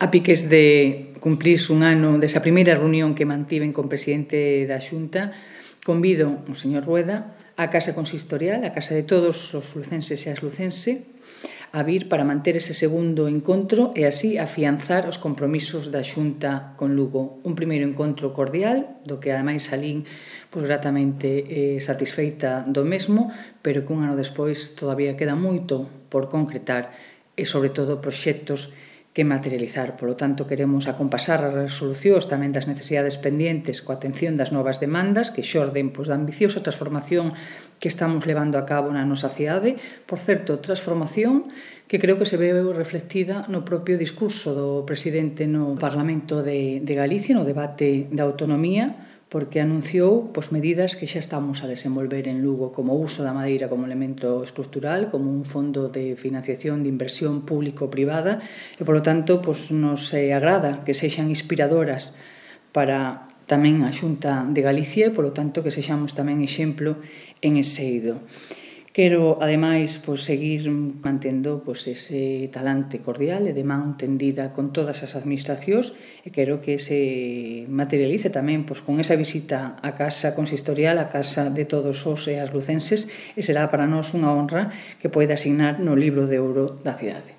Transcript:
A piques de cumprirse un ano desa primeira reunión que mantiven con o presidente da Xunta, convido o señor Rueda á Casa Consistorial, a casa de todos os lucenses e as lucense, a vir para manter ese segundo encontro e así afianzar os compromisos da Xunta con Lugo. Un primeiro encontro cordial, do que ademais salín gratamente satisfeita do mesmo, pero que un ano despois todavía queda moito por concretar e, sobre todo, proxectos que materializar. Por lo tanto, queremos acompasar as resolucións tamén das necesidades pendientes coa atención das novas demandas que xorden da ambiciosa transformación que estamos levando a cabo na nosa cidade. Por certo, transformación que creo que se veu reflectida no propio discurso do presidente no Parlamento de Galicia, no debate da autonomía, porque anunciou medidas que xa estamos a desenvolver en Lugo, como o uso da madeira como elemento estructural, como un fondo de financiación de inversión público-privada, e, polo tanto, nos agrada que sexan inspiradoras para tamén a Xunta de Galicia e, polo tanto, que sexamos tamén exemplo en ese eido. Quero, ademais, seguir mantendo ese talante cordial e de man tendida con todas as administracións e quero que se materialice tamén con esa visita á Casa Consistorial, á casa de todos os e as lucenses, e será para nós unha honra que poida asignar no libro de ouro da cidade.